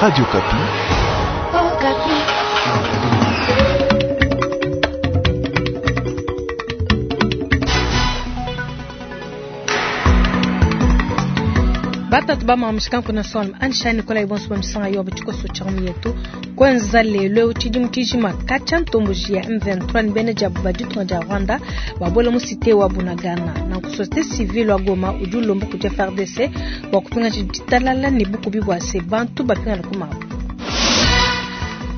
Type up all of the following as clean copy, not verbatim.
Radio Okapi. Okapi. Batatu bamamushikanku na solme anshani Nikolai bonso bamisanga yo batshikoso tsha yetu kwenza lelo tshidimu tshijima katshia ntomboji ya M23 ni bene diabu ba ditunga dia Rwanda babuela mu cité wa Bunagana nanku société civile wa Goma udi ulomba kudi FARDC bua kupingaja ditalala ne bukubi bua se bantu bapingana ku mabu.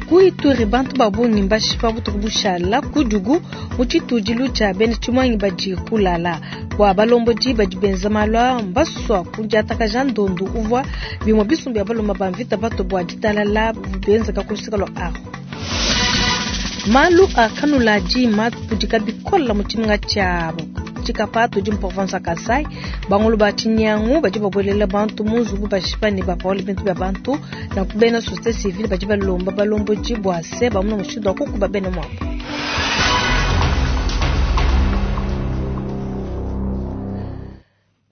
Ku Ituri bantu ba bungi mbashipa butuku bushala ku Djugu mu tshitudilu tshia bena tshimuangi badi kulala bua balombodi badi benza malu aa mbasua kudiatakaja ndondu uvua bimue bisumbu bia baluma ba mvita bato bua ditalala benzeka ku luseke lua Aru. Malu a kanuladi mapudika bikola mu tshimenga tshia Tshikapa tudi mu province ya Kasai. Bangulu ba tshinyangu badi babuelela bantu mu nzubu bashipa ne bapaula bintu bia bantu. Nanku bena société civile badi balomba balombodi bua se bamona mushindu wa kukuba bena muabu.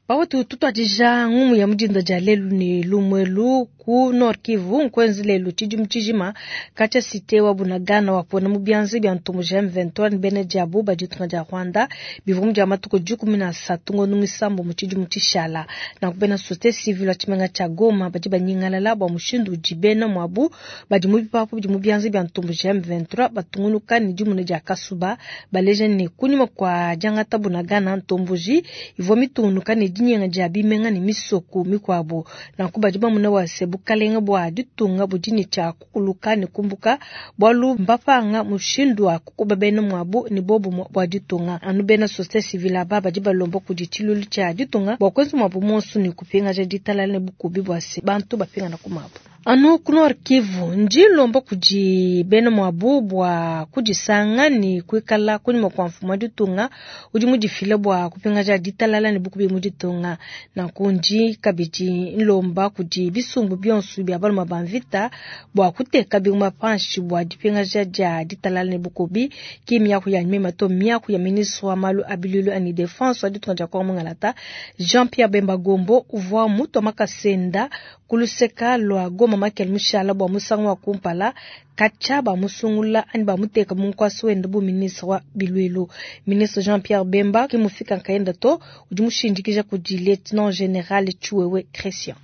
Pawutu tutuadija ngumu ya mudinda dia lelu ne lumuelu ku Nord Kivu nkwenzi lelu tshidimu tshijima katshia cité wa Bunagana wapona mu bianza bia ntomboji M23 ne bena diabu ba ditunga dia Rwanda bivua mu dia matuku 13 ngondo muisambo mu tshidimu tshishala. Nanku bena société civile wa tshimenga tshia Goma badi banyingalala bua mushindu udi bena muabu badi mu bipapu bidi mu bianza bia ntomboji M23 batungunuka ne dimuna dia kasuba baleja ne kunyima kua diangata Bunagana ntomboji ivua mitungunuka ne dinyenga dia bimenga ne misoko mikuabu. Nanku badi bamona wase bukalenga bua ditunga budi ne tshia kukuluka ne kumbuka bualu mbapanga mushindu wa kukuba bena muabu ne bobu bua ditunga. Anu bena société civile aba badi balomba kudi tshilulu tshia ditunga bua kuenza muabu monso ne kupingaja ditalala ne bukubi bua se bantu bapingana ku mabu. Anu ku Nord Kivu ndi lomba kudi bena muabu bua kudisanga ne kuikala kunyima kua mfumu wa ditunga udi mudifile bua kupingaja ditalala ne bukubi mu ditunga. Nanku ndi kabidi nlomba kudi bisumbu bionso bia baluma ba mvita bua kuteka bingoma panshi bua dipingaja dia ditalala ne bukubi. Ki miaku ya mema to miaku ya ministre wa malu a biluilu ani defense wa ditunga dia Kongo Mungalata Jean-Pierre Bemba Gombo uvua mutua makasenda kuluseka lua Goma Makel mushala bua musangu wa kumpala katshia bamusungula anyi bamuteka mu nkuasa wende bu ministre wa biluilu. Ministre Jean-Pierre Bemba ki mufika nkayenda to udi mushindikija kudi lieutenant general Tshiwewe Christian.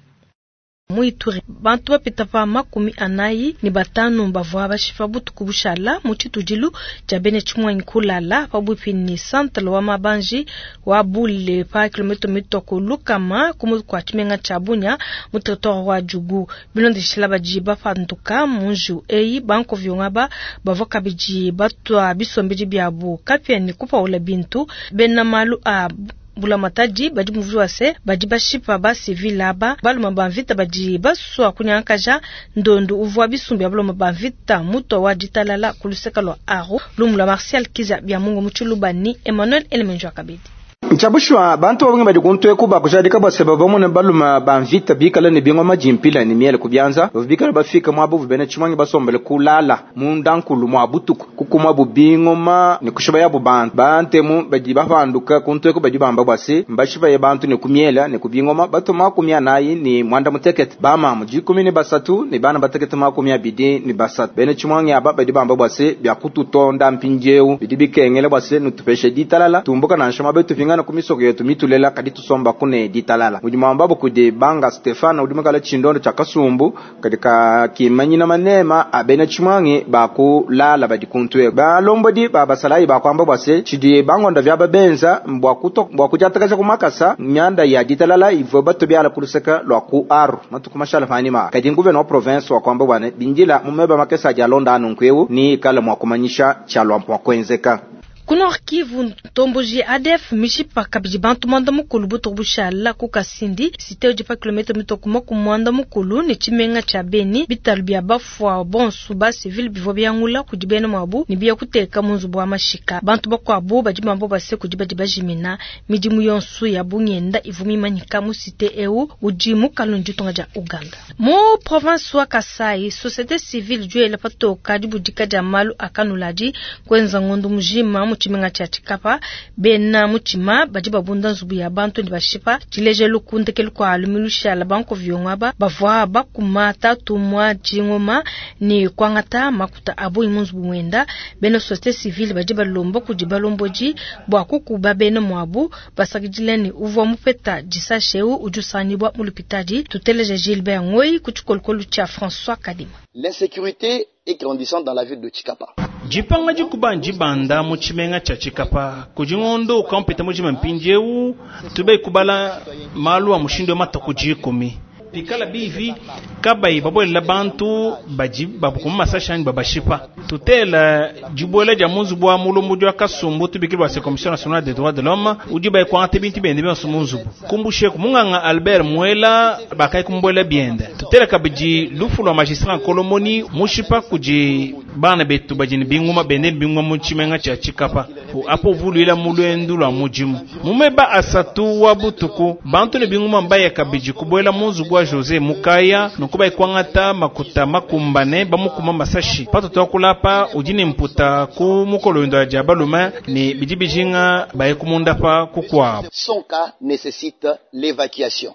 Mu Ituri bantu bapita pa 45 bavua bashipa butuku bushala mu tshitudilu tshia bena tshimuangi kulala pabuipi ne centre wa Mabanji wa Bule pa kilomita mitoko lukama ku kua tshimenga tshia Bunia mu territoire wa Djugu. Bilondeshila badi bapanduka mu njiwu eyi bankovyonga ba bavua kabidi batua bisombedi biabu kapia ne kupaula bintu. Bena malu a bulamatadi badi muvua se badi bashipa ba civil aba baluma ba mvita badi basua kunyangakaja ndondu uvua bisumbu bia baluma ba mvita mutua wa ditalala ku luseke lua Aru lumu lua Martial Kiza bia Mungu mu Tshiluba ni Emmanuel Elemenjo kabidi. Ntshabushwa bantu babungi badi kuntweku bakujadika bua se bavua baluma ba mvita bikala ne bingoma dimpila ne miele ku bianza bavua bikala bafika muabu bena tshimuangi basombele kulala mundankulu mua butuku kukuma bu bingoma ne kushiba yabu bantu bantemu badi bapanduka kuntweku badi bamba bua se mbashibaye bantu ne kumiela ne kubingoma batu 48 bamamu 13 ne bana batekete 23 bena tshimuangi aba badi bamba bua se bia kututonda mpindieu bidi bikengela bua se nutupeshe ditalala tumbuka nansha mabetu pinga ku misoko yetu mitulela kadi tusomba kune ditalala udi mwamba kudi banga Stefano udi mukala tshindondo tshia kasumbu kadi ka kimanyina manema abena tshimuangi bakulala badi kuntwe balombodi ba basalayi bakwamba bua se tshidi bangonda vya babenza mbwa kuto mbwa kudiatakaja kumakasa myanda ya ditalala ivua batubiala kuluseka lwa ku aru matuku mashala panima kadi nguvena wa province wa kwamba bwana bindila mumeba makesa aja alonda anu nkweu ni kala mwa kumanyisha tshalwa mwa kwenzeka. Ku Nord Kivu ntomboji ADF mishipa kabidi bantu mwanda mukulu butuku bushala ku Kasindi cité udi pa kilomita mitoko ku mwanda mukulu ne tshimenga tshia Beni bitalu bia bafua bonso ba civil bivua biangula kudi bena muabu ne biya kuteka mu nzubu wa mashika. Bantu bakuabu badi bamba base kudi badi bajimina midimu yonso ya bungenda ivua mimanyika mu cité eu udi mu kalundu ditunga dia Uganda. Mu province wa Kasai société civile juela patoka dibudika dia malu a kanuladi kwenza ngondo mujima mu tshimenga tshia Tshikapa. Bena mutshima badi babunda nzubu ya bantu ne bashipa. Tshilejelu, ku ndekelu kua lumingu lushala bankoviongo aba bavua bakuma tatu mua tshingoma ne kuangata makuta a bungi mu nzubu muenda. Bena societe civile badi balomba kudi balombodi bua kukuba bena muabu, basakidila ne uvua mupeta disashe eu udi usangibua mu lupitadi. Tuteleja Gilbert Ngoyi ku tshikolokolo tshia François Kadima. L'insécurité est grandissante dans la ville de Tshikapa. Dipanga dikuba ndibanda mu tshimenga tshia Tshikapa kudi ngondo ukampeta mujima mpindieu tube kubala malu a mushindu wa matuku dikumi pikala bivi kabayi babuelela bantu badi babukuma masasha anyi babashipa. Tutela dibuela dia mu nzubu wa mulombodi wa kasumbu tubikile bua Commission nationale des droits de l'homme udi bayikuangata bintu biende bionso mu nzubu kumbusheku munganga Albert Muela bakayi kumbuela biende. Tutela kabidi lufu lua magistrat Nkolomoni mushipa kudi bana betu badi ne binguma bende ne binguma mu tshimenga tshia Tshikapa apo vuluila mu luendu lua mudimu mumeba asatu wa butuku bantu ne binguma mbaya kabidi kubuela mu nzubu wa Jose Mukaya nunku bayikwangata makuta makumbane bamukuma masashi patoto akulapa udi ne mputa ku mukolo dia balume ne bidi bijinga baye kumunda pa kukuabu. Son cas nécessite l'évacuation.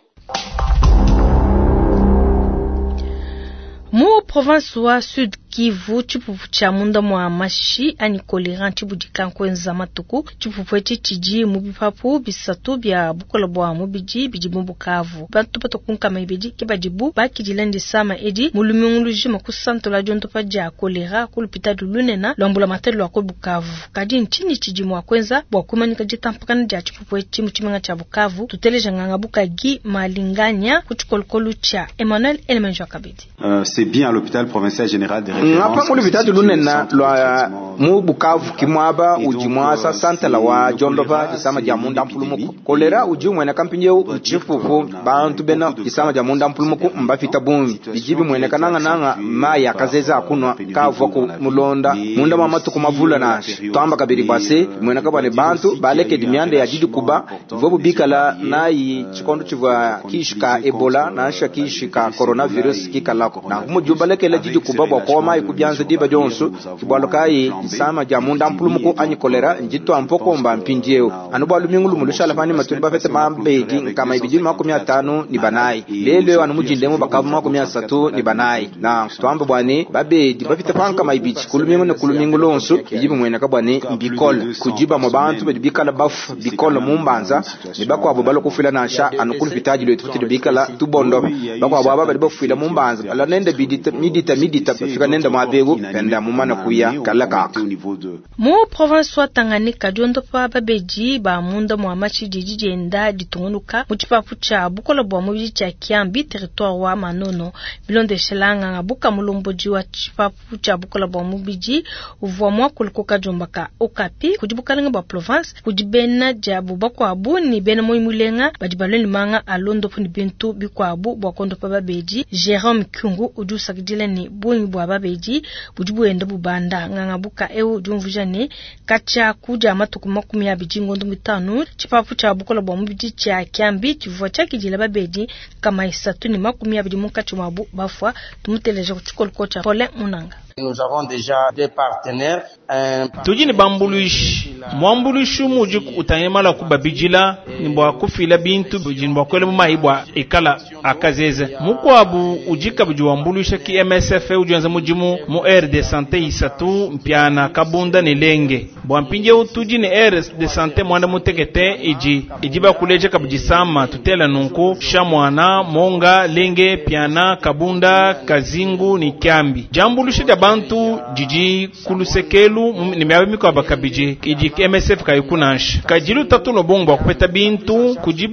Mu province wa Sud Kivu, tshipupu tshia munda mua mashi anyi kolera ntshibudika nkuenza matuku. Tshipupu etshi tshidi mu bipapu bisatu bia bukola bua mubidi bidi mu Bukavu. Bantu batoku nkama ibidi ke badibu bakidila ndisama edi mu lumingu lujima ku santola diondopa dia kolera ku lupitadi lunena lua mbulamatadi lua ku Bukavu. Kadi ntshinyi tshidi mua kuenza bua kumanyika ditampakana dia tshipupu etshi mu tshimenga tshia Bukavu? Tuteleja nganga Bukagi Malinganya ku tshikolokolo tshia Emmanuel Elemenjo Kabidi. C'est bien à l'hôpital provincial général de référence. Ngapa mu lupitadi lunena lua mu Bukavu kimwaba udi mwasa santala wa diondopa disama dia munda mpulumuku. Kolera udi umwena kampindieu tshipupu bantu bena disama dia munda mpulumuku mbafita bungi bidi bimweneka nangananga mayi akazeza akunwa kavua ku mulonda munda mwa matuku mavula nansha twamba kabidi bwase bimweneka bwane bantu balekedi mianda ya didikuba ivo bikala nayi tshikondo tshivua kishi ka Ebola nansha kishi ka coronavirus kikalako nanku mudi balekela didikuba bua kuoma ikubyanza diba dionso kibwalo kayi disama dia munda mpulumuku anyi kolera njitwa mpokomba mpindieu anu bua lumingu lumu lushala pani matuli bafete mabedi nkama ibidi 54 lelo anu mujindemu bakavu 34 na twamba bwane babedi bafite pankama ibidi kulumingu ne kulumingu lonso bidi bimweneka bwane mbikola kujiba mu bantu badi bikala bafu bikola mu mbanza ne bakwabo balokufila nansha anu kulupitaji lwetu tutili bikala tubondo bakwabo aba badi bafwila mu mbanza bala nenda bidita midita midita bafika nenda mwabegu penda mumana kuya kala kaka. Mu province wa Tanganyika diondopa babedi ba munda mwa mashi didi dienda ditungunuka mu tshipapu tshia bukola bua mubidi tshia Kiambi territoire wa Manono. Bilondeshela nganga buka mulombodi wa tshipapu tshia bukola bua mubidi uvua muakulu kadiombaka Okapi kudi bukalenga bua province kudi bena diabu bakuabu ni bena moyi mulenga badi balwe manga alondopo ni bintu bikuabu bua kondopa babedi. Jerome Kyungu udi usakidila ni bungi bua babedi budi buenda bubanda nganga buka eu udi umvuja ne katshia kudia matuku 25 tshipapu tshia bukola bua mubidi tshia Kiambi tshivua tshiakidila babedi kama 320 munkatshi mwabu bafua. Tumuteleja ku tshikoloko tshia Paulin Munanga. Nous avons déjà des partenaires. Tudi ne bambuluishi mwambuluishi mudi utangila kubabidila ni bua kufila bintu bidi bua kuela mu mayi bua ikala akazeze mukuabu udi kabidi wambuluisha ki MSF udi wenza mudimu mu aire de santé isatu mpiana Kabunda ne Lenge bua mpindieu tudi ne aire de santé mwanda mutekete idi idi bakuleja kabidi sama tutela nunku Shamwana Monga Lenge Piana Kabunda Kazingu ni Kiambi jambuluisha dia bantu didi kulusekelu ni miaba mikuabu kabidi idi MSF kayikunansha kadilu tatu no bongo kupeta bintu kudi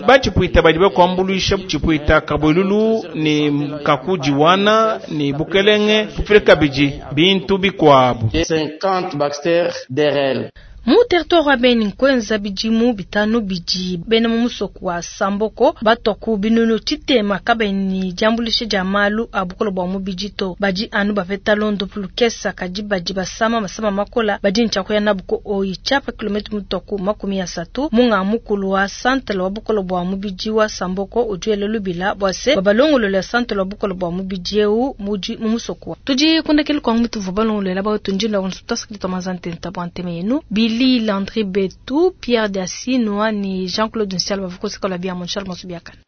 bachipuita badi bakuambuluisha chipuita kabwelulu ni kakudiwana ni bukelenge kufile kabidi bintu bikuabu 50 Baxter DRL. Mu territoire wa Beni nkwenza bidimu bitano bidi bena mu musoko wa Samboko batoku binunu tshitema kabeni diambulisha dia malu a bukola bua mubidi to badi anu bapeta londo pulukesa kadi badi basama masama makola badi ntshakuya nabuko oyi tshiapa kilometre mutoku 30 munga mukulu wa santela wa bukola bua mubidi wa Samboko udiele lubila bua se babalongolola santela wa bukola bua mubidi eu mudi mu musoko tudi kundekele kwa mutu vubalongolola ba tunjila onso tasakita mazantenta bua nteme yenu. Willy Landry Betu, Pierre Diasinoa ne Jean-Claude Nsiala bavua ku luseke lua biamu. Nshala bonso biakane.